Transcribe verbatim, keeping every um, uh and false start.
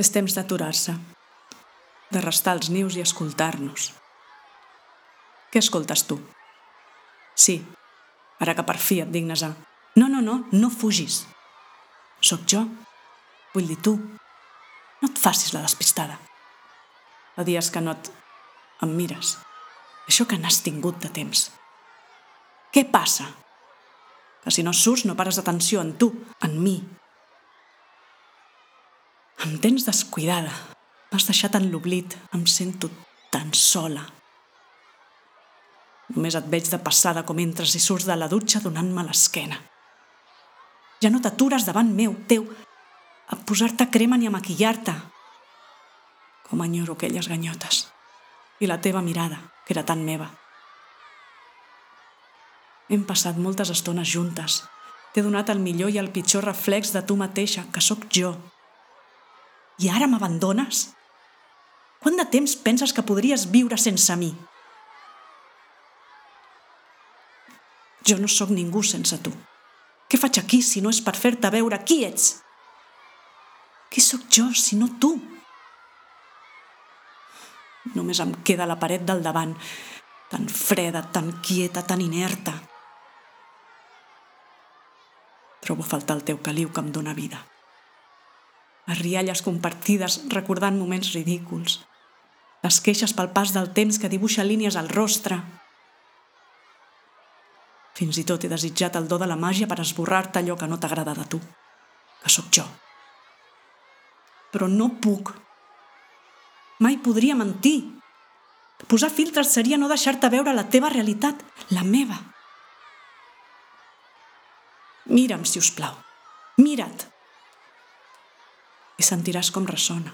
És temps d'aturar-se, de restar els nius i escoltar-nos. Què escoltes tu? Sí, ara que per fi et dignes a... No, no, no, no fugis. Soc jo. Vull dir tu. No et facis la despistada. Fa dies que no et... em mires. Això que n'has tingut de temps. Què passa? Que si no surts no pares atenció en tu, en mi. Em tens descuidada. M'has deixat en l'oblit. Em sento tan sola. Només et veig de passada com entres i surts de la dutxa donant-me l'esquena. Ja no t'atures davant meu, teu, a posar-te crema ni a maquillar-te. Com enyoro aquelles ganyotes. I la teva mirada, que era tan meva. Hem passat moltes estones juntes. T'he donat el millor i el pitjor reflex de tu mateixa, que sóc jo. I ara m'abandones? Quant de temps penses que podries viure sense mi? Jo no sóc ningú sense tu. Què faig aquí si no és per fer-te veure qui ets? Qui sóc jo si no tu? Només em queda la paret del davant, tan freda, tan quieta, tan inerta. Trobo a faltar el teu caliu que em dóna vida. Les rialles compartides recordant moments ridículs. Les queixes pel pas del temps que dibuixa línies al rostre. Fins i tot he desitjat el do de la màgia per esborrar-te allò que no t'agrada de tu, que sóc jo. Però no puc. Mai podria mentir. Posar filtres seria no deixar-te veure la teva realitat, la meva. Mira'm, si us plau. Mira't. I sentiràs com ressona.